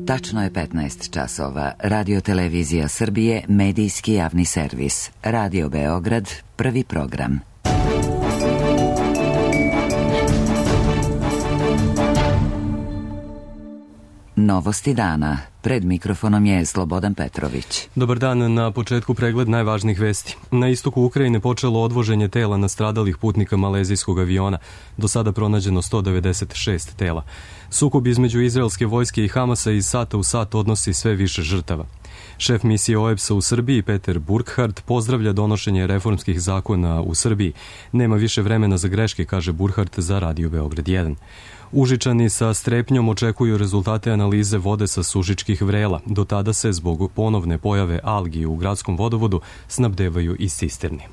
Tačno je 15 časova. Radio Televizija Srbije, medijski javni servis. Radio Beograd, prvi program. Novosti dana. Pred mikrofonom je Slobodan Petrović. Dobar dan, na početku pregled najvažnijih vesti. Na istoku Ukrajine počelo odvoženje tela nastradalih putnika malezijskog aviona. Do sada pronađeno 196 tela. Sukob između izraelske vojske i Hamasa iz sata u sat odnosi sve više žrtava. Šef misije OEBS-a u Srbiji, Peter Burkhardt, pozdravlja donošenje reformskih zakona u Srbiji. Nema više vremena za greške, kaže Burkhardt za Radio Beograd 1. Užičani sa strepnjom očekuju rezultate analize vode sa Sužičkih vrela. Do tada se zbog ponovne pojave algi u gradskom vodovodu snabdevaju iz cisterni.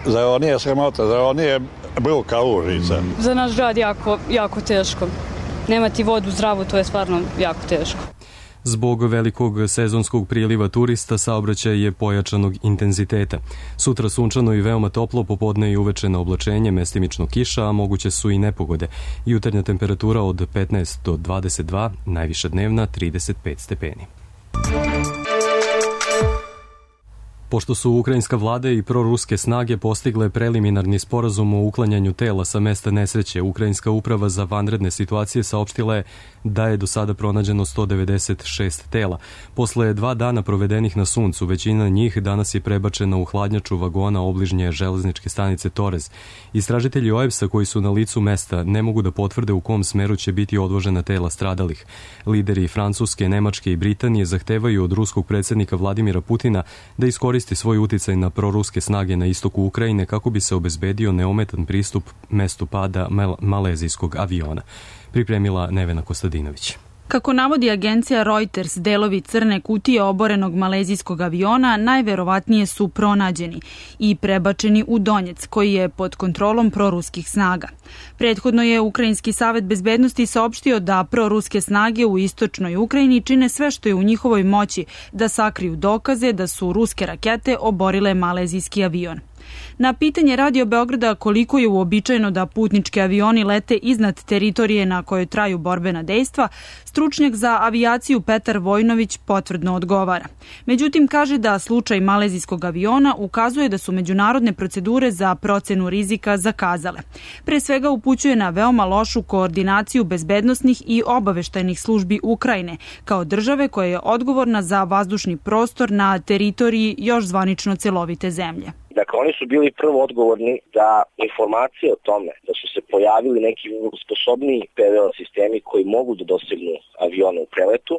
Zar ovo nije sramota, zar ovo nije bruka Užica? Za naš grad jako teško. Nemati vodu zdravu, to je stvarno jako teško. Zbog velikog sezonskog priliva turista saobraćaj je pojačanog intenziteta. Sutra sunčano i veoma toplo, popodne i uveče na oblačenje, mestimično kiša, a moguće su i nepogode. Jutarnja temperatura od 15 do 22, najviša dnevna 35 stepeni. Pošto su ukrajinska vlada i proruske snage postigle preliminarni sporazum o uklanjanju tela sa mesta nesreće, Ukrajinska uprava za vanredne situacije saopštila je da je do sada pronađeno 196 tela. Posle 2 dana provedenih na suncu, većina njih danas je prebačena u hladnjaču vagona obližnje železničke stanice Torez. Istražitelji OEBS-a koji su na licu mesta ne mogu da potvrde u kom smeru će biti odvožena tela stradalih. Lideri Francuske, Nemačke i Britanije zahtevaju od ruskog predsjednika Vladimira Putina da iskoristi svoj uticaj na proruske snage na istoku Ukrajine kako bi se obezbedio neometan pristup mestu pada malezijskog aviona. Pripremila Nevena Kostadinović. Kako navodi agencija Reuters, delovi crne kutije oborenog malezijskog aviona najverovatnije su pronađeni i prebačeni u Donjec, koji je pod kontrolom proruskih snaga. Prethodno je Ukrajinski savet bezbednosti saopštio da proruske snage u istočnoj Ukrajini čine sve što je u njihovoj moći da sakriju dokaze da su ruske rakete oborile malezijski avion. Na pitanje Radio Beograda koliko je uobičajeno da putnički avioni lete iznad teritorije na kojoj traju borbena dejstva, stručnjak za avijaciju Petar Vojnović potvrdno odgovara. Međutim, kaže da slučaj malezijskog aviona ukazuje da su međunarodne procedure za procenu rizika zakazale. Pre svega upućuje na veoma lošu koordinaciju bezbednosnih i obaveštajnih službi Ukrajine, kao države koja je odgovorna za vazdušni prostor na teritoriji još zvanično celovite zemlje. Dakle, oni su bili prvo odgovorni da informacije o tome da su se pojavili neki sposobniji PVO sistemi koji mogu da dosegnu avione u preletu,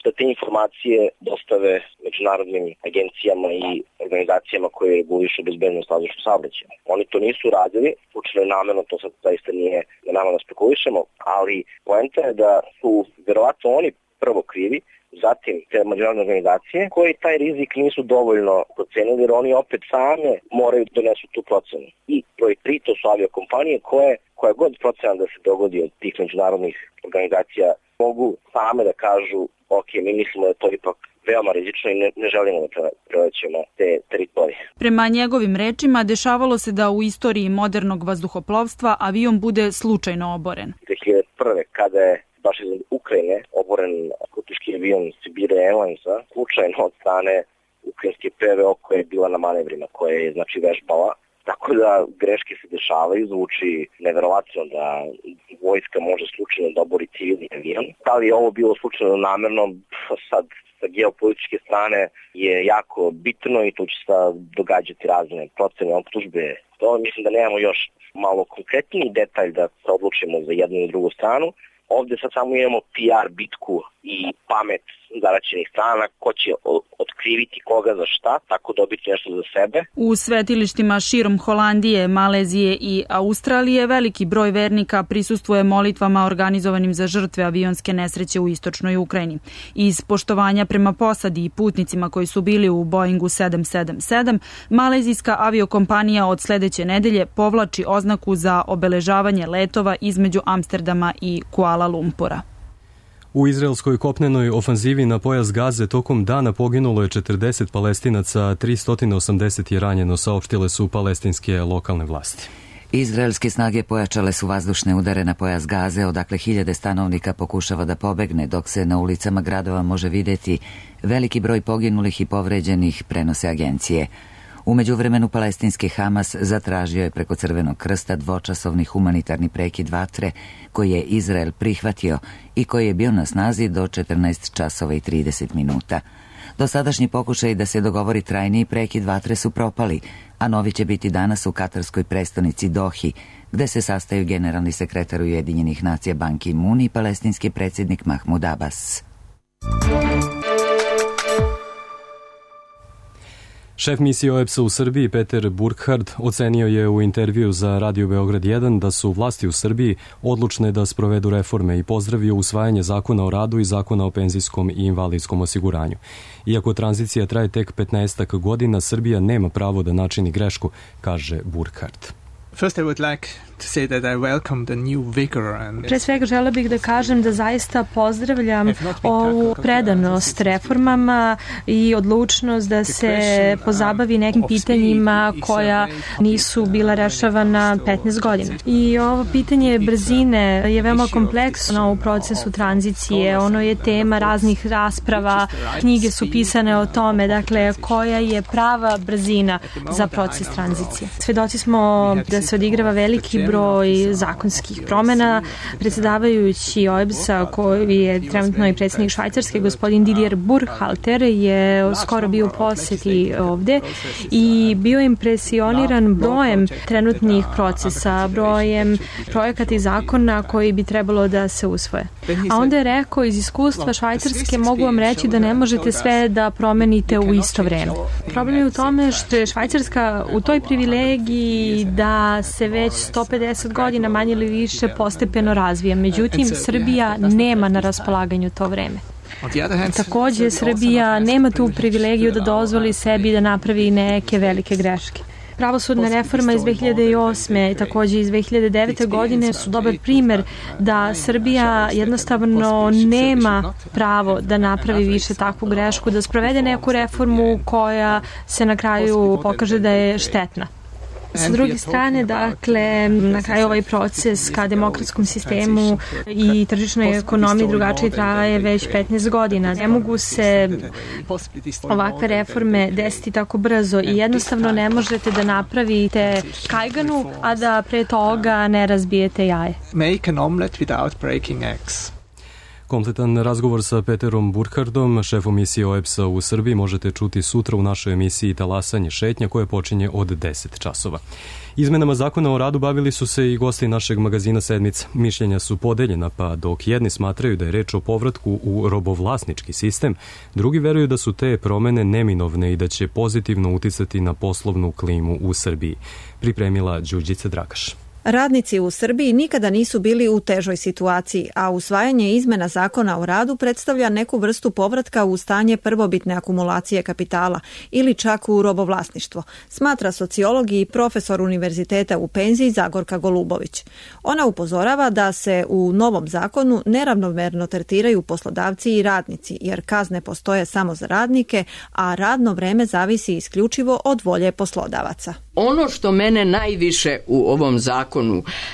da te informacije dostave međunarodnim agencijama i organizacijama koje regulišu bezbednost vazdušnog saobraćaja. Oni to nisu radili, slučajno namerno, to sad zaista nije na nama da spekulišemo, ali poenta je da su verovatno oni prvo krivi, zatim te međunarodne organizacije koji taj rizik nisu dovoljno procenili jer oni opet same moraju da donesu tu procenu. I broj 3 to su aviokompanije koja god procena da se dogodi od tih međunarodnih organizacija mogu same da kažu ok, mi mislimo da je to ipak veoma rizično i ne želimo da prelećemo te teritorije. Prema njegovim rečima, dešavalo se da u istoriji modernog vazduhoplovstva avion bude slučajno oboren. 2001. kada je baš iz Ukrajine oboren putnički avion Sibir Airlinesa, slučajno od strane ukrajinske PVO koja je bila na manevrima, koja je znači vežbala. Tako da greške se dešavaju, zvuči neverovatno da vojska može slučajno da obori civilni avion. Da li je ovo bilo slučajno namerno, sad sa geopolitičke strane je jako bitno i tu će se događati razne procene optužbe. To mislim da nemamo još malo konkretniji detalj da se odlučimo za jednu i drugu stranu. Ovdje sad samo imamo PR bitku i pamet zaraćenih strana, ko će otkriviti koga za šta, tako dobiti nešto za sebe. U svetilištima širom Holandije, Malezije i Australije veliki broj vernika prisustvuje molitvama organizovanim za žrtve avionske nesreće u istočnoj Ukrajini. Iz poštovanja prema posadi i putnicima koji su bili u Boeingu 777, malezijska aviokompanija od sledeće nedelje povlači oznaku za obeležavanje letova između Amsterdama i Kuala Lumpura. U izraelskoj kopnenoj ofanzivi na pojas Gaze tokom dana poginulo je 40 Palestinaca, 380 je ranjeno, saopštile su palestinske lokalne vlasti. Izraelske snage pojačale su vazdušne udare na pojas Gaze, odakle hiljade stanovnika pokušava da pobegne, dok se na ulicama gradova može vidjeti veliki broj poginulih i povređenih, prenose agencije. U međuvremenu palestinski Hamas zatražio je preko Crvenog krsta dvočasovni humanitarni prekid vatre koji je Izrael prihvatio i koji je bio na snazi do 14 časova i 30 minuta. Dosadašnji pokušaj da se dogovori trajniji prekid vatre su propali, a novi će biti danas u katarskoj prestonici Dohi, gde se sastaju generalni sekretar Ujedinjenih nacija Ban Ki-moon i palestinski predsjednik Mahmud Abbas. Šef misije OEBS-a u Srbiji Peter Burkhardt ocenio je u intervju za Radio Beograd 1 da su vlasti u Srbiji odlučne da sprovedu reforme i pozdravio usvajanje zakona o radu i zakona o penzijskom i invalidskom osiguranju. Iako tranzicija traje tek 15 godina, Srbija nema pravo da načini grešku, kaže Burkhardt. First, I would like to say that I welcome the new vigor and... Pre svega želeo bih da kažem da zaista pozdravljam ovu predanost reformama i odlučnost da se pozabavi nekim pitanjima koja nisu bila rešavana 15 godina. I ovo pitanje brzine je veoma kompleksno u procesu tranzicije. Ono je tema raznih rasprava, knjige su pisane o tome, dakle, koja je prava brzina za proces tranzicije. Svedoci smo da se odigrava veliki broj zakonskih promena. Predsjedavajući OEBS-a, koji je trenutno i predsjednik Švajcarske, gospodin Didier Burkhalter, je skoro bio u posjeti ovde i bio impresioniran brojem trenutnih procesa, brojem projekata i zakona koji bi trebalo da se usvoje. A onda je rekao, iz iskustva Švajcarske mogu vam reći da ne možete sve da promenite u isto vreme. Problem je u tome što je Švajcarska u toj privilegiji da se već 150 godina manje ili više postepeno razvija. Međutim, Srbija nema na raspolaganju to vreme. Takođe, Srbija nema tu privilegiju da dozvoli sebi da napravi neke velike greške. Pravosudna reforma iz 2008. i takođe iz 2009. godine su dobar primer da Srbija jednostavno nema pravo da napravi više takvu grešku, da sprovede neku reformu koja se na kraju pokaže da je štetna. Sa druge strane, dakle, na kraju ovaj proces ka demokratskom sistemu i tržišnoj ekonomiji drugačije traje već 15 godina. Ne mogu se ovakve reforme desiti tako brzo i jednostavno ne možete da napravite kajganu, a da pre toga ne razbijete jaje. Make an omelet without breaking eggs. Kompletan razgovor sa Peterom Burkhardtom, šefom misije OEBS-a u Srbiji, možete čuti sutra u našoj emisiji Talasanje šetnja koja počinje od 10 časova. Izmenama zakona o radu bavili su se i gosti našeg magazina Sedmica. Mišljenja su podeljena, pa dok jedni smatraju da je reč o povratku u robovlasnički sistem, drugi veruju da su te promene neminovne i da će pozitivno uticati na poslovnu klimu u Srbiji. Pripremila Đurđica Dragaš. Radnici u Srbiji nikada nisu bili u težoj situaciji, a usvajanje izmena zakona o radu predstavlja neku vrstu povratka u stanje prvobitne akumulacije kapitala ili čak u robovlasništvo, smatra sociolog i profesor univerziteta u penziji Zagorka Golubović. Ona upozorava da se u novom zakonu neravnomerno tretiraju poslodavci i radnici, jer kazne postoje samo za radnike, a radno vreme zavisi isključivo od volje poslodavaca. Ono što mene najviše u ovom zakonu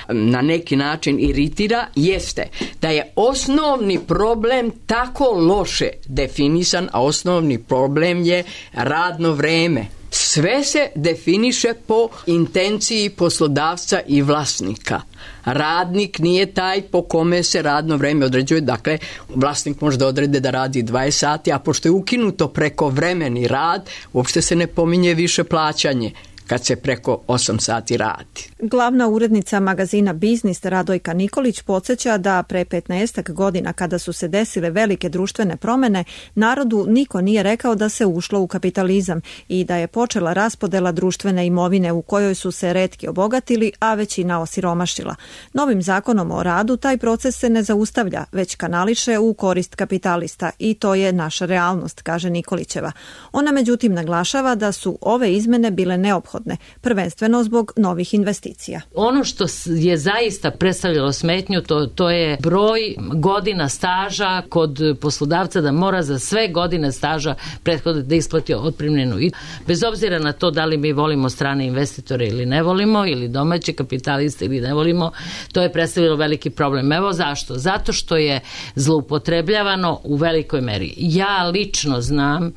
na neki način iritira jeste da je osnovni problem tako loše definisan, a osnovni problem je radno vreme. Sve se definiše po intenciji poslodavca i vlasnika. Radnik nije taj po kome se radno vreme određuje, dakle vlasnik može da odrede da radi 20 sati, a pošto je ukinuto prekovremeni rad, uopšte se ne pominje više plaćanje kad se preko 8 sati radi. Glavna urednica magazina Biznis Radojka Nikolić podsjeća da pre 15 godina kada su se desile velike društvene promene, narodu niko nije rekao da se ušlo u kapitalizam i da je počela raspodela društvene imovine u kojoj su se retki obogatili, a većina osiromašila. Novim zakonom o radu taj proces se ne zaustavlja, već kanališe u korist kapitalista i to je naša realnost, kaže Nikolićeva. Ona međutim naglašava da su ove izmene bile neophodne neophodne, prvenstveno zbog novih investicija. Ono što je zaista predstavljalo smetnju, to je broj godina staža kod poslodavca, da mora za sve godine staža prethodno da isplati otpremninu. I bez obzira na to da li mi volimo strane investitore ili ne volimo, ili domaće kapitaliste ili ne volimo, to je predstavljalo veliki problem. Evo zašto? Zato što je zloupotrebljavano u velikoj meri. Ja lično znam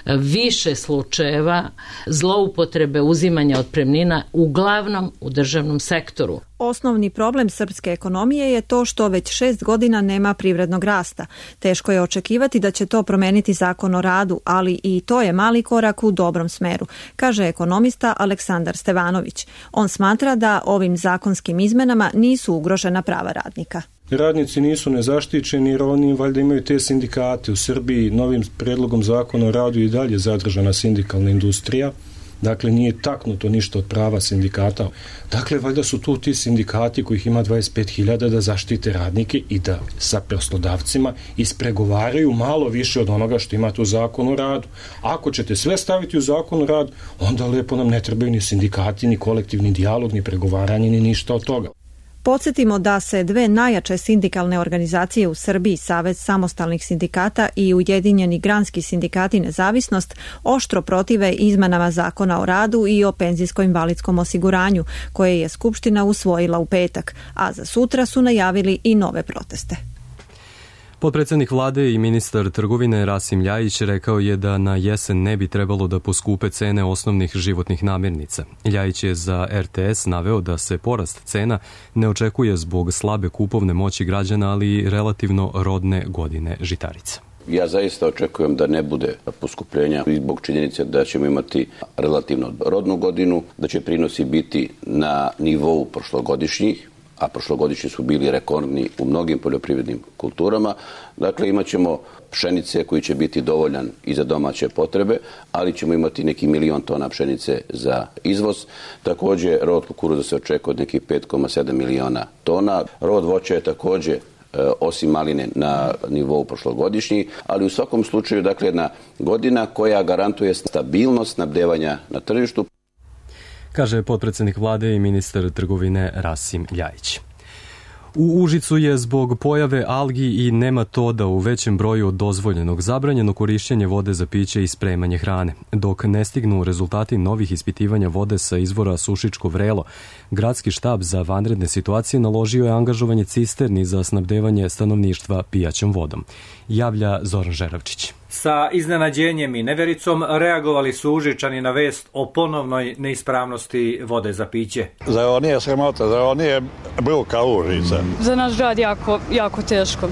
više slučajeva zloupotrebe uzimanja otpremnina, uglavnom u državnom sektoru. Osnovni problem srpske ekonomije je to što već 6 godina nema privrednog rasta. Teško je očekivati da će to promeniti Zakon o radu, ali i to je mali korak u dobrom smeru, kaže ekonomista Aleksandar Stevanović. On smatra da ovim zakonskim izmenama nisu ugrožena prava radnika. Radnici nisu nezaštićeni jer oni valjda imaju te sindikate. U Srbiji novim predlogom zakona o radu i dalje zadržana sindikalna industrija. Dakle, nije taknuto ništa od prava sindikata. Dakle, valjda su tu ti sindikati kojih ima 25.000 da zaštite radnike i da sa poslodavcima ispregovaraju malo više od onoga što imate u Zakonu o radu. Ako ćete sve staviti u Zakon o radu, onda lepo nam ne trebaju ni sindikati, ni kolektivni dijalog, ni pregovaranje, ni ništa od toga. Podsjetimo da se dve najjače sindikalne organizacije u Srbiji, Savez samostalnih sindikata i Ujedinjeni granski sindikati Nezavisnost, oštro protive izmenama Zakona o radu i o penzijsko-invalidskom osiguranju, koje je Skupština usvojila u petak, a za sutra su najavili i nove proteste. Potpredsjednik vlade i ministar trgovine Rasim Ljajić rekao je da na jesen ne bi trebalo da poskupe cene osnovnih životnih namirnica. Ljajić je za RTS naveo da se porast cena ne očekuje zbog slabe kupovne moći građana, ali i relativno rodne godine žitarica. Ja zaista očekujem da ne bude poskupljenja zbog činjenice da ćemo imati relativno rodnu godinu, da će prinosi biti na nivou prošlogodišnjih, a prošlogodišnji su bili rekordni u mnogim poljoprivrednim kulturama. Dakle, imat ćemo pšenice koji će biti dovoljan i za domaće potrebe, ali ćemo imati neki 1 milion tona pšenice za izvoz. Također, rod kukuruza se očekuje od nekih 5,7 miliona tona. Rod voća je također osim maline na nivou prošlogodišnji, ali u svakom slučaju, dakle, jedna godina koja garantuje stabilnost snabdevanja na tržištu, kaže potpredsjednik vlade i ministar trgovine Rasim Ljajić. U Užicu je zbog pojave algi i nematoda u većem broju od dozvoljenog zabranjeno korišćenje vode za piće i spremanje hrane. Dok ne stignu rezultati novih ispitivanja vode sa izvora Sušičko Vrelo, gradski štab za vanredne situacije naložio je angažovanje cisterni za snabdevanje stanovništva pijaćom vodom. Javlja Zoran Žeravčić. Sa iznenađenjem i nevericom reagovali su Užičani na vest o ponovnoj neispravnosti vode za piće. Zar ovo nije sramota, zar ovo nije bruka Užica? Za naš grad jako teško.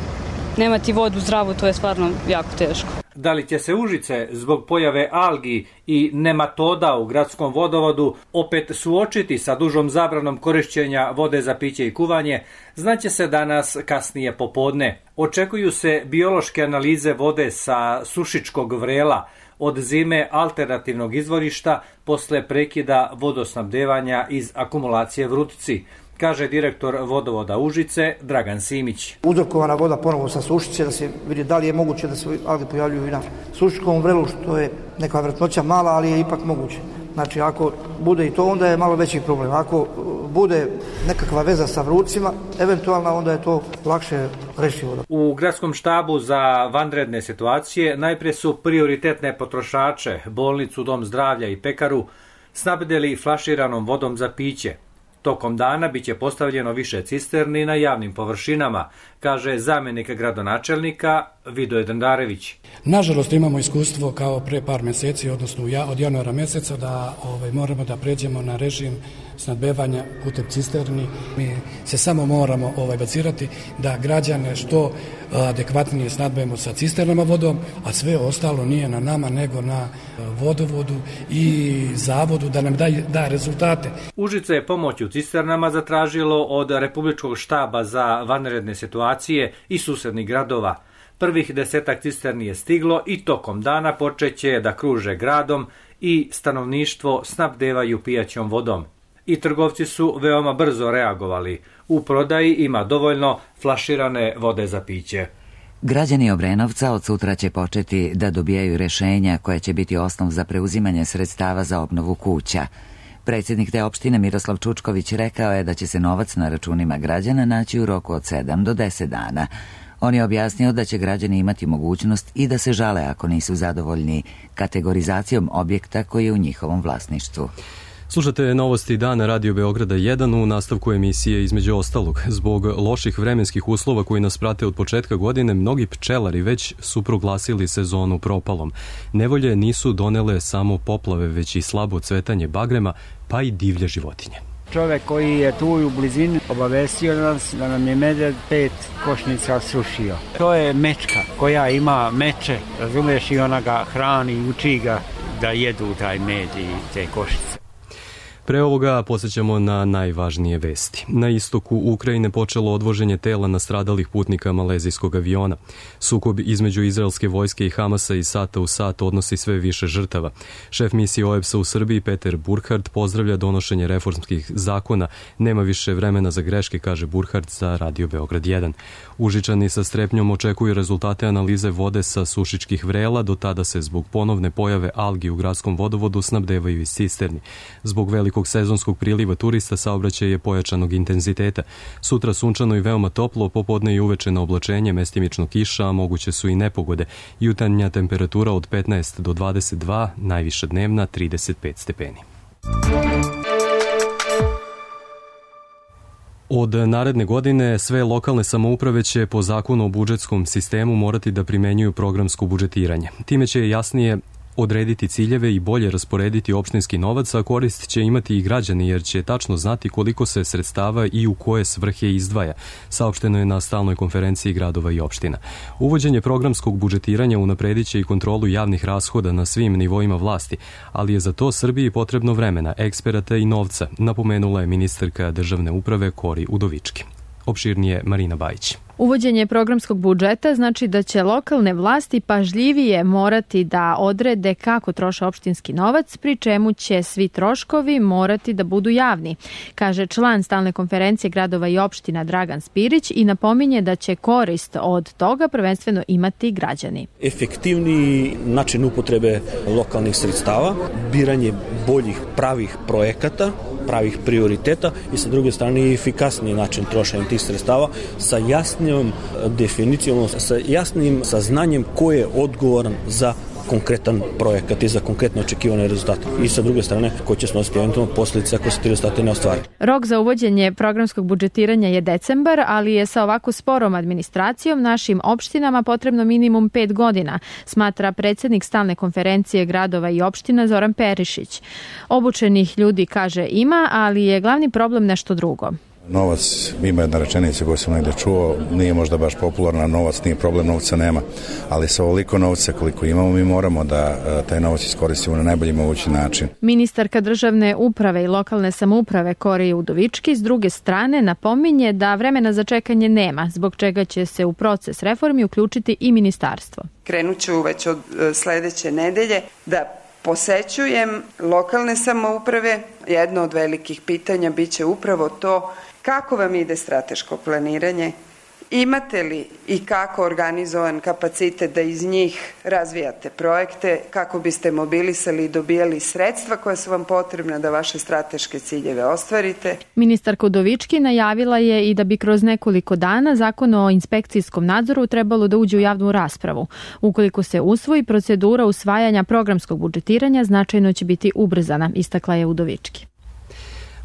Nemati vodu zdravu, to je stvarno jako teško. Da li će se Užice zbog pojave algi i nematoda u gradskom vodovodu opet suočiti sa dužom zabranom korišćenja vode za piće i kuvanje, znaće se danas kasnije popodne. Očekuju se biološke analize vode sa Sušičkog Vrela od zime alternativnog izvorišta posle prekida vodosnabdevanja iz akumulacije Vrutici, kaže direktor vodovoda Užice Dragan Simić. Uzrokovana voda ponovo sa Sušice, da se vidi da li je moguće da se alge pojavljuju i na Sušičkom Vrelu, što je neka vjerojatnoća mala, ali je ipak moguće. Znači, ako bude i to, onda je malo veći problem. Ako bude nekakva veza sa vrucima, eventualno onda je to lakše rešivo. U gradskom štabu za vanredne situacije najprije su prioritetne potrošače, bolnicu, dom zdravlja i pekaru, snabdeli flaširanom vodom za piće. Tokom dana biće postavljeno više cisterni na javnim površinama, kaže zamjenik gradonačelnika Vidoje Dandarević. Nažalost, imamo iskustvo kao pre par mjeseci, odnosno od januara mjeseca, da moramo da pređemo na režim snabdevanja putem cisterni. Mi se samo moramo bazirati da građane što adekvatnije snabdevamo sa cisternama vodom, a sve ostalo nije na nama nego na vodovodu i zavodu da nam da rezultate. Užice je pomoć u cisternama zatražilo od Republičkog štaba za vanredne situacije i susednih gradova. Prvih 10 cisterni je stiglo i tokom dana počeće da kruže gradom i stanovništvo snabdevaju pijaćom vodom. I trgovci su veoma brzo reagovali. U prodaji ima dovoljno flaširane vode za piće. Građani Obrenovca od sutra će početi da dobijaju rešenja koja će biti osnov za preuzimanje sredstava za obnovu kuća. Predsjednik te opštine Miroslav Čučković rekao je da će se novac na računima građana naći u roku od 7 do 10 dana. On je objasnio da će građani imati mogućnost i da se žale ako nisu zadovoljni kategorizacijom objekta koji je u njihovom vlasništvu. Slušate novosti dana Radio Beograda 1 u nastavku emisije između ostalog. Zbog loših vremenskih uslova koji nas prate od početka godine, mnogi pčelari već su proglasili sezonu propalom. Nevolje nisu donele samo poplave, već i slabo cvetanje bagrema, pa i divlje životinje. Čovek koji je tu u blizini obavestio nas da nam je medved 5 košnica srušio. To je mečka koja ima meče, razumiješ, i ona ga hrani i uči ga da jedu taj med i te košnice. Pre ovoga posjećamo na najvažnije vesti. Na istoku Ukrajine počelo odvoženje tela nastradalih putnika malezijskog aviona. Sukob između izraelske vojske i Hamasa iz sata u sat odnosi sve više žrtava. Šef misije OEBS-a u Srbiji Peter Burkhardt pozdravlja donošenje reformskih zakona. Nema više vremena za greške, kaže Burkhardt za Radio Beograd 1. Užičani sa strepnjom očekuju rezultate analize vode sa Sušičkih vrela, do tada se zbog ponovne pojave algi u gradskom vodovodu snabdevaju iz cisterni. Zbog velikog sezonskog priliva turista saobraćaj je pojačanog intenziteta. Sutra sunčano i veoma toplo, popodne i uveče na oblačenje, mestimično kiša, a moguće su i nepogode. Jutarnja temperatura od 15 do 22, najviša dnevna 35 stepeni. Od naredne godine sve lokalne samouprave će po zakonu o budžetskom sistemu morati da primenjuju programsko budžetiranje. Time će jasnije odrediti ciljeve i bolje rasporediti opštinski novac, a korist će imati i građani jer će tačno znati koliko se sredstava i u koje svrhe izdvaja, saopšteno je na stalnoj konferenciji gradova i opština. Uvođenje programskog budžetiranja unapredit će i kontrolu javnih rashoda na svim nivoima vlasti, ali je za to Srbiji potrebno vremena, eksperata i novca, napomenula je ministarka državne uprave Kori Udovički. Opširnije Marina Bajić. Uvođenje programskog budžeta znači da će lokalne vlasti pažljivije morati da odrede kako troše opštinski novac, pri čemu će svi troškovi morati da budu javni, kaže član stalne konferencije gradova i opština Dragan Spirić i napominje da će korist od toga prvenstveno imati građani. Efektivniji način upotrebe lokalnih sredstava, biranje boljih pravih projekata, pravih prioriteta i sa druge strane efikasniji način trošenja tih sredstava sa jasnijom definicijom, sa jasnim saznanjem ko je odgovoran za konkretan projekat i za konkretno očekivane rezultate. I sa druge strane, ko će snositi eventualno posljedice ako se ti rezultate ne ostvari. Rok za uvođenje programskog budžetiranja je decembar, ali je sa ovako sporom administracijom našim opštinama potrebno minimum 5 godina, smatra predsjednik stalne konferencije gradova i opština Zoran Perišić. Obučenih ljudi, kaže, ima, ali je glavni problem nešto drugo. Novac, ima jedna rečenica koju sam negdje čuo, nije možda baš popularna, novac nije problem, novca nema, ali sa ovoliko novca koliko imamo mi moramo da taj novac iskoristimo na najbolji mogući način. Ministarka državne uprave i lokalne samouprave Kori Udovički s druge strane napominje da vremena za čekanje nema, zbog čega će se u proces reformi uključiti i ministarstvo. Krenut ću već od sledeće nedelje da posećujem lokalne samouprave. Jedno od velikih pitanja biće upravo to kako vam ide strateško planiranje, imate li i kako organizovan kapacitet da iz njih razvijate projekte, kako biste mobilisali i dobijali sredstva koja su vam potrebna da vaše strateške ciljeve ostvarite. Ministarka Udovički najavila je i da bi kroz nekoliko dana Zakon o inspekcijskom nadzoru trebalo da uđe u javnu raspravu. Ukoliko se usvoji, procedura usvajanja programskog budžetiranja značajno će biti ubrzana, istakla je Udovički.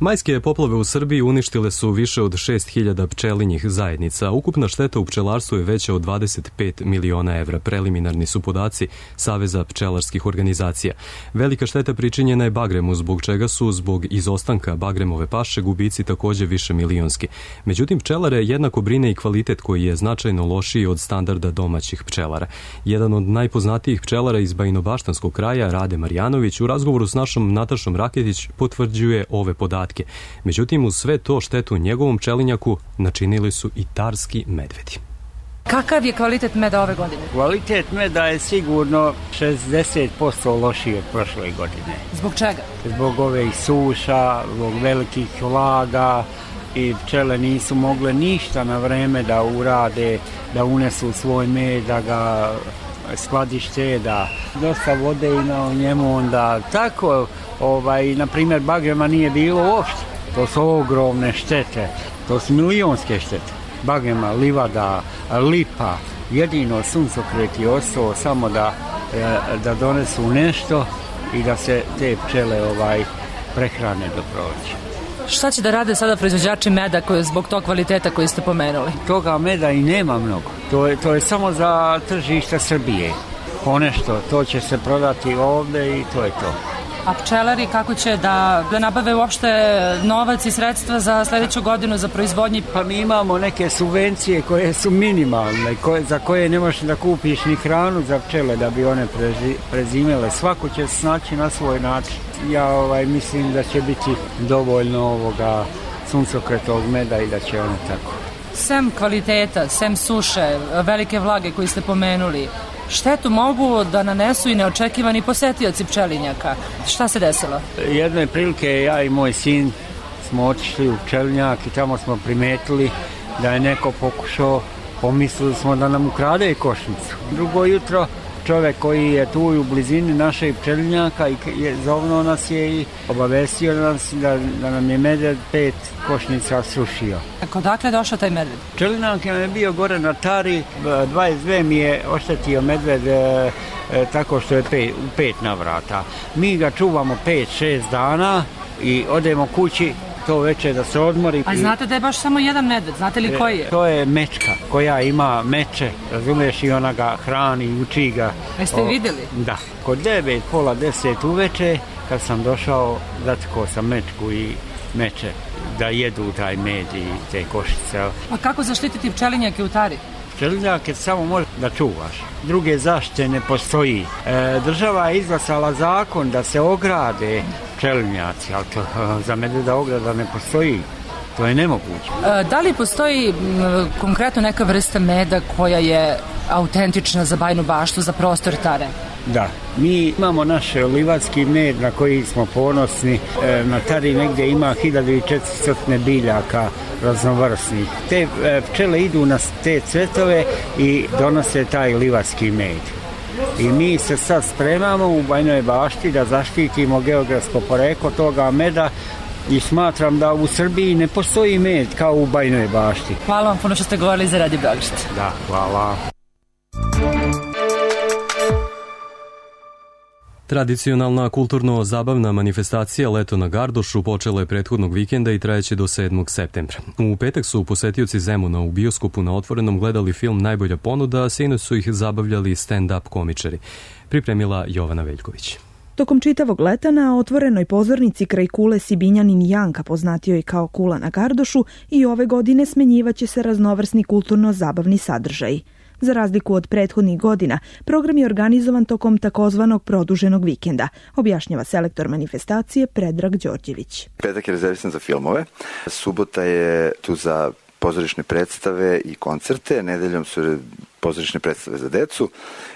Majske poplave u Srbiji uništile su više od 6.000 pčelinjih zajednica. Ukupna šteta u pčelarstvu je veća od 25 miliona evra. Preliminarni su podaci Saveza pčelarskih organizacija. Velika šteta pričinjena je bagremu, zbog čega su zbog izostanka bagremove paše gubici takođe više milionski. Međutim, pčelare jednako brine i kvalitet koji je značajno lošiji od standarda domaćih pčelara. Jedan od najpoznatijih pčelara iz Bajinobaštanskog kraja, Rade Marjanović, u razgovoru s našom Natašom Raketić potvrđuje ove podatke. Međutim, uz sve to štetu njegovom pčelinjaku načinili su i tarski medvedi. Kakav je kvalitet meda ove godine? Kvalitet meda je sigurno 60% lošiji od prošle godine. Zbog čega? Zbog ove suša, zbog velikih vlaga i pčele nisu mogle ništa na vreme da urade, da unesu svoj med, da ga skladište, da dosta vode ima u njemu, onda tako, na primjer, bagrema nije bilo uopšte. To su ogromne štete, to su milionske štete. Bagrema, livada, lipa, jedino suncokret je ostao samo da donesu nešto i da se te pčele prehrane do proleća. Šta će da rade sada proizvođači meda zbog tog kvaliteta koji ste pomenuli? Toga meda i nema mnogo. To je samo za tržište Srbije. Ponešto, to će se prodati ovde i to je to. A pčelari kako će da nabave uopšte novac i sredstva za sledeću godinu za proizvodnji? Pa mi imamo neke subvencije koje su minimalne, za koje ne možeš da kupiš ni hranu za pčele da bi one prezimele. Svako će se snaći na svoj način. Ja mislim da će biti dovoljno ovoga suncokretog meda i da će one tako. Sem kvaliteta, sem suše, velike vlage koji ste pomenuli, štetu mogu da nanesu i neočekivani posetioci pčelinjaka. Šta se desilo? Jedne prilike ja i moj sin smo otišli u pčelinjak i tamo smo primetili da je neko pokušao, pomislili smo da nam ukrade košnicu. Drugo jutro čovjek koji je tu u blizini našeg pčelinjaka i zovno nas je i obavestio nas da nam je medved 5 košnica srušio. Odakle je došao taj medved? Pčelinjak je bio gore na Tari, 22 mi je oštetio medved tako što je u 5 navrata. Mi ga čuvamo 5-6 dana i odemo kući to veče da se odmori. A znate da je baš samo jedan medved, znate li koji je? To je mečka koja ima meče, razumiješ, i ona ga hrani i uči ga. Jeste vidjeli? Da. Kod 9, pola 10 uveče, kad sam došao, zatekao sam mečku i meče da jedu taj med i te košice. A kako zaštititi pčelinjake u Tari? Pčelinjake samo može da čuvaš. Druge zaštite ne postoji. Država je izglasala zakon da se ograde pčelinjaci, ali to za medveda ograda ne postoji. To je nemoguće. Da li postoji konkretno neka vrsta meda koja je autentična za Bajinu Baštu, za prostor Tare? Da, mi imamo naš livatski med na koji smo ponosni. Na Tari negdje ima 1400 biljaka raznovrsnih. Te pčele idu na te cvetove i donose taj livatski med. I mi se sad spremamo u Bajinoj Bašti da zaštitimo geografsko poreklo toga meda i smatram da u Srbiji ne postoji med kao u Bajinoj Bašti. Hvala vam puno što ste govorili za Radio Beograd. Da, hvala. Tradicionalna kulturno-zabavna manifestacija Leto na Gardošu počela je prethodnog vikenda i trajeće do 7. septembra. U petak su posetioci Zemuna u bioskopu na Otvorenom gledali film Najbolja ponuda, a sinoć su ih zabavljali stand-up komičari. Pripremila Jovana Veljković. Tokom čitavog leta na otvorenoj pozornici kraj kule Sibinjanin Janka, poznatio je kao Kula na Gardošu, i ove godine smenjivaće se raznovrsni kulturno-zabavni sadržaj. Za razliku od prethodnih godina, program je organizovan tokom takozvanog produženog vikenda, objašnjava selektor manifestacije Predrag Đorđević. Petak je rezervisan za filmove, subota je tu za pozorišne predstave i koncerte, nedeljom su pozorišne predstave za decu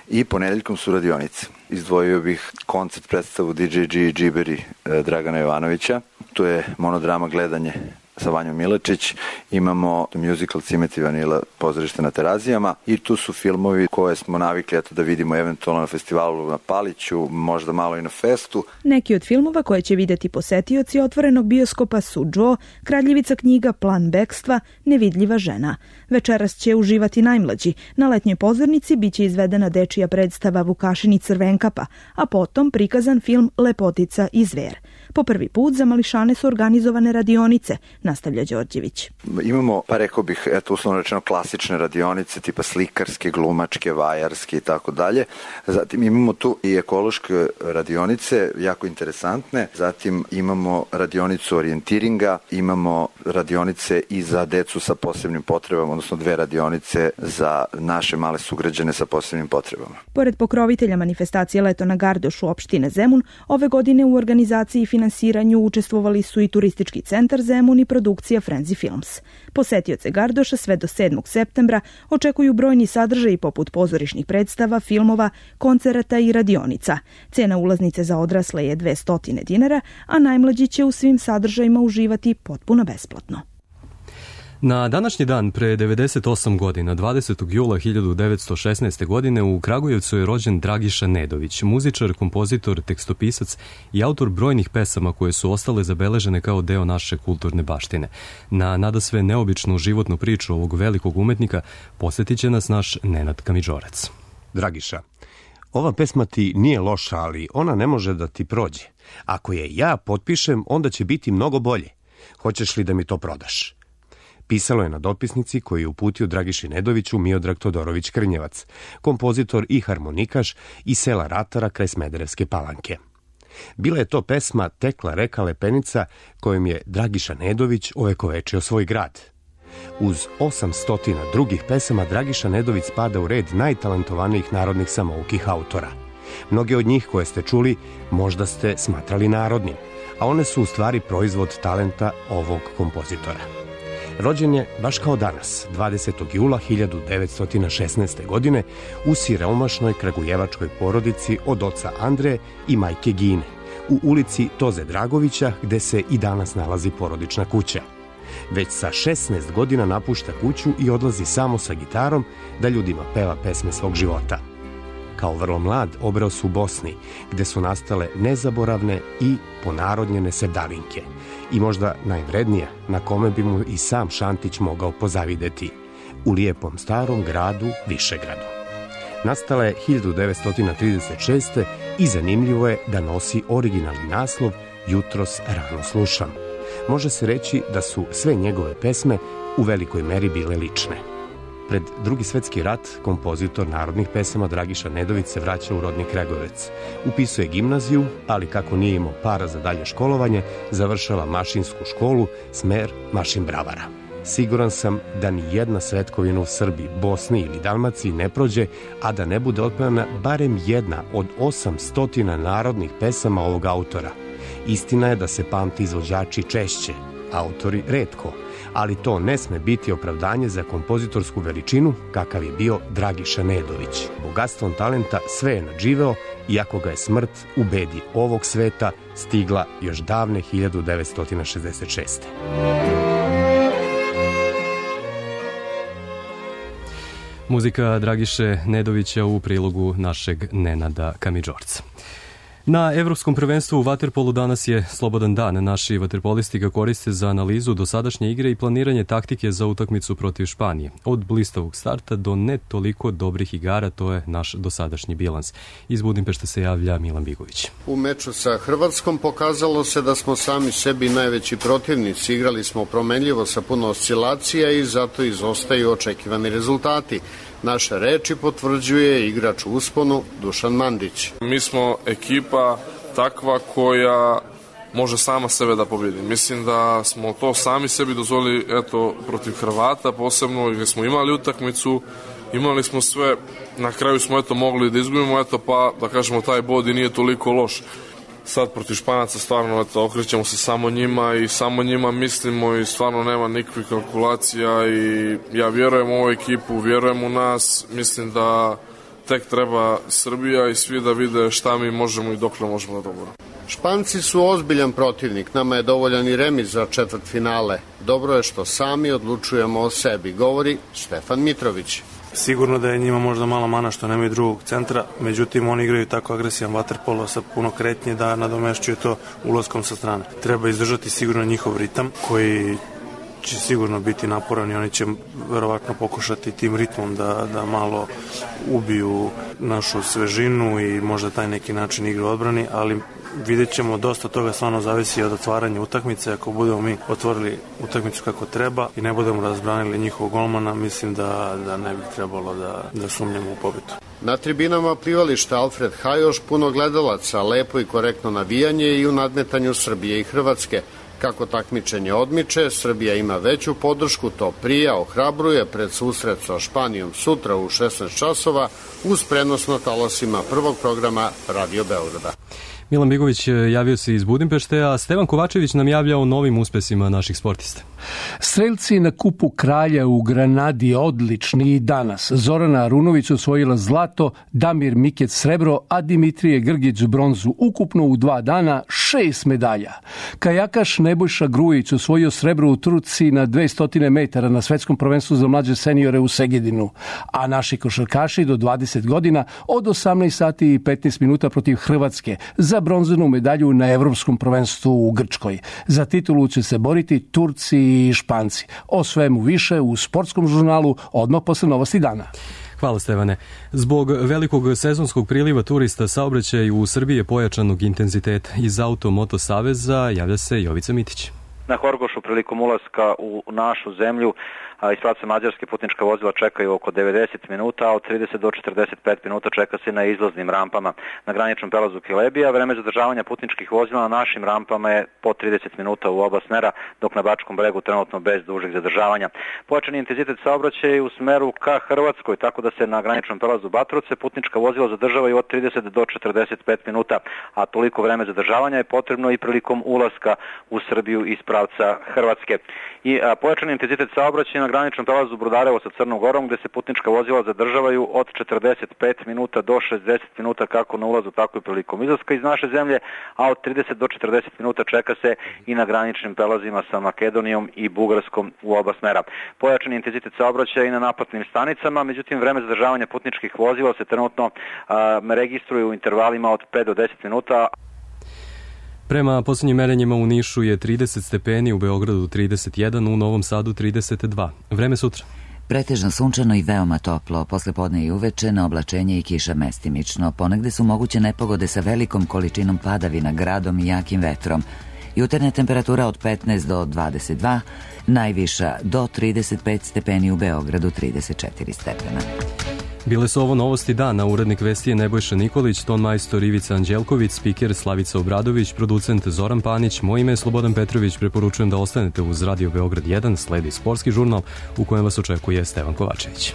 i ponedeljkom su radionice. Izdvojio bih koncert predstavu DJG i Džiberi Dragana Jovanovića. Tu je monodrama Gledanje sa Vanjom Milačić, imamo musical Cimeti Vanila pozorište na Terazijama i tu su filmovi koje smo navikli da vidimo eventualno na festivalu na Paliću, možda malo i na festu. Neki od filmova koje će videti posetioci otvorenog bioskopa su Joe, Kraljevica knjiga, Plan bekstva, Nevidljiva žena. Večeras će uživati najmlađi. Na letnjoj pozornici biće izvedena dečija predstava Vukašin i Crvenkapa, a potom prikazan film Lepotica i zver. Po prvi put za mališane su organizovane radionice, nastavlja Đorđević. Imamo, pa rekao bih, uslovno rečeno klasične radionice, tipa slikarske, glumačke, vajarske i tako dalje. Zatim imamo tu i ekološke radionice, jako interesantne. Zatim imamo radionicu orijentiringa, imamo radionice i za decu sa posebnim potrebama, odnosno 2 radionice za naše male sugrađane sa posebnim potrebama. Pored pokrovitelja manifestacije Leto na Gardošu opštine Zemun, ove godine u organizaciji i finansiranju učestvovali su i Turistički centar Zemun i produkcija Frenzy Films. Posetioce Gardoša sve do 7. septembra očekuju brojni sadržaji poput pozorišnih predstava, filmova, koncerata i radionica. Cena ulaznice za odrasle je 200 dinara, a najmlađi će u svim sadržajima uživati potpuno besplatno. Na današnji dan pre 98 godina, 20. jula 1916. godine, u Kragujevcu je rođen Dragiša Nedović, muzičar, kompozitor, tekstopisac i autor brojnih pesama koje su ostale zabeležene kao deo naše kulturne baštine. Na nadasve neobičnu životnu priču ovog velikog umetnika posjetit će nas naš Nenad Kamidžorac. Dragiša, ova pesma ti nije loša, ali ona ne može da ti prođe. Ako je ja potpišem, onda će biti mnogo bolje. Hoćeš li da mi to prodaš? Pisalo je na dopisnici koju je uputio Dragiši Nedoviću Miodrag Todorović Krnjevac, kompozitor i harmonikaš iz sela Ratara kraj Smederevske Palanke. Bila je to pesma Tekla reka Lepenica kojom je Dragiša Nedović ovekovečio svoj grad. Uz 800 drugih pesama Dragiša Nedović spada u red najtalentovanijih narodnih samoukih autora. Mnoge od njih koje ste čuli možda ste smatrali narodnim, a one su u stvari proizvod talenta ovog kompozitora. Rođen je baš kao danas, 20. jula 1916. godine u siromašnoj kragujevačkoj porodici od oca Andreje i majke Gine, u ulici Toze Dragovića gde se i danas nalazi porodična kuća. Već sa 16 godina napušta kuću i odlazi samo sa gitarom da ljudima peva pesme svog života. Kao vrlo mlad obreo se u Bosni, gde su nastale nezaboravne i ponarodnjene sevdalinke i možda najvrednija na kome bi mu i sam Šantić mogao pozavideti, u lijepom starom gradu Višegradu. Nastala je 1936. i zanimljivo je da nosi originalni naslov Jutros rano slušam. Može se reći da su sve njegove pesme u velikoj meri bile lične. Pred Drugi svetski rat kompozitor narodnih pesama Dragiša Nedović se vraća u rodni Kragujevac. Upisuje gimnaziju, ali kako nije imao para za dalje školovanje, završava mašinsku školu, smer mašin bravara. Siguran sam da ni jedna svetkovina u Srbiji, Bosni ili Dalmaciji ne prođe, a da ne bude otpevana barem jedna od 800 narodnih pesama ovog autora. Istina je da se pamti izvođači češće, autori retko, ali to ne sme biti opravdanje za kompozitorsku veličinu kakav je bio Dragiša Nedović. Bogatstvom talenta sve je nadživeo, iako ga je smrt u bedi ovog sveta stigla još davne 1966. Muzika Dragiše Nedovića u prilogu našeg Nenada Kamidžorca. Na Evropskom prvenstvu u vaterpolu danas je slobodan dan. Naši vaterpolisti ga koriste za analizu dosadašnje igre i planiranje taktike za utakmicu protiv Španije. Od blistavog starta do ne toliko dobrih igara, to je naš dosadašnji bilans. Iz Budimpešte se javlja Milan Bigović. U meču sa Hrvatskom pokazalo se da smo sami sebi najveći protivnici. Igrali smo promenljivo sa puno oscilacija i zato izostaju očekivani rezultati. Naše reči potvrđuje igrač u usponu Dušan Mandić. Mi smo ekipa takva koja može sama sebe da pobjedi. Mislim da smo to sami sebi dozvolili protiv Hrvata, posebno gdje smo imali utakmicu, imali smo sve, na kraju smo mogli da izgubimo, pa da kažemo taj bod i nije toliko loš. Sad protiv Španaca stvarno okrećemo se samo njima i samo njima mislimo i stvarno nema nikakvih kalkulacija i ja vjerujem u ovu ekipu, vjerujem u nas, mislim da tek treba Srbija i svi da vide šta mi možemo i dokle možemo da dobro. Španci su ozbiljan protivnik, nama je dovoljan i remis za četvrtfinale. Dobro je što sami odlučujemo o sebi, govori Stefan Mitrović. Sigurno da je njima možda mala mana što nemaju drugog centra, međutim oni igraju tako agresivan vaterpolo sa puno kretnje da nadomešćuje to ulaskom sa strane. Treba izdržati sigurno njihov ritam koji će sigurno biti naporan i oni će verovatno pokušati tim ritmom da malo ubiju našu svežinu i možda taj neki način igre odbrani, ali vidjet ćemo, dosta toga stvarno zavisi od otvaranja utakmice. Ako budemo mi otvorili utakmicu kako treba i ne budemo razbranili njihovog golmana, mislim da ne bi trebalo da sumnjamo u pobedu. Na tribinama plivališta Alfred Hajoš puno gledalaca, lepo i korektno navijanje i u nadmetanju Srbije i Hrvatske. Kako takmičenje odmiče, Srbija ima veću podršku, to prija ohrabruje pred susret sa Španijom sutra u 16 časova uz prenos na talasima prvog programa Radio Beograda. Milan Bigović javio se iz Budimpešte, a Stevan Kovačević nam javlja o novim uspesima naših sportista. Strelci na Kupu kralja u Granadi odlični i danas. Zorana Arunović osvojila zlato, Damir Mikec srebro, a Dimitrije Grgić bronzu. Ukupno u 2 dana 6 medalja. Kajakaš Nebojša Grujić osvojio srebro u trci na 200 metara na svetskom prvenstvu za mlađe seniore u Segedinu, a naši košarkaši do 20 godina od 18 sati i 15 minuta protiv Hrvatske za bronzanu medalju na evropskom prvenstvu u Grčkoj. Za titulu će se boriti Turci i Španci. O svemu više u sportskom žurnalu odmah posle novosti dana. Hvala Stevane. Zbog velikog sezonskog priliva turista saobraćaj u Srbiji je pojačanog intenziteta. Iz Auto-Moto Saveza javlja se Jovica Mitić. Na Horgošu prilikom ulaska u našu zemlju iz pravca Mađarske putnička vozila čekaju oko 90 minuta, a od 30 do 45 minuta čeka se na izlaznim rampama. Na graničnom prelazu Kelebija vreme zadržavanja putničkih vozila na našim rampama je po 30 minuta u oba smera, dok na Bačkom bregu trenutno bez dužeg zadržavanja. Pojačani intenzitet saobraćaja u smeru ka Hrvatskoj, tako da se na graničnom prelazu Batrovce putnička vozila zadržavaju od 30 do 45 minuta, a toliko vreme zadržavanja je potrebno i prilikom ulaska u Srbiju iz pravca Hrvatske. I pojačani intenzitet saobraćaja na graničnom prelazu Brodarevo sa Crnom Gorom, gde se putnička vozila zadržavaju od 45 minuta do 60 minuta kako na ulazu, tako i prilikom izlaska iz naše zemlje, a od 30 do 40 minuta čeka se i na graničnim prelazima sa Makedonijom i Bugarskom u oba smera. Pojačani intenzitet saobraćaja i na naplatnim stanicama, međutim vreme zadržavanja putničkih vozila se trenutno registruje u intervalima od 5 do 10 minuta. Prema posljednjim merenjima u Nišu je 30 stepeni, u Beogradu 31, u Novom Sadu 32. Vreme sutra. Pretežno sunčano i veoma toplo, posle podne i uveče na oblačenje i kiša mestimično. Ponegde su moguće nepogode sa velikom količinom padavina, gradom i jakim vetrom. Jutarnja temperatura od 15 do 22, najviša do 35 stepeni, u Beogradu 34 stepena. Bile su ovo novosti dana. Urednik vesti je Nebojša Nikolić, ton majstor Ivica Anđelković, spiker Slavica Obradović, producent Zoran Panić. Moje ime je Slobodan Petrović. Preporučujem da ostanete uz Radio Beograd 1. Sledi sportski žurnal u kojem vas očekuje Stevan Kovačević.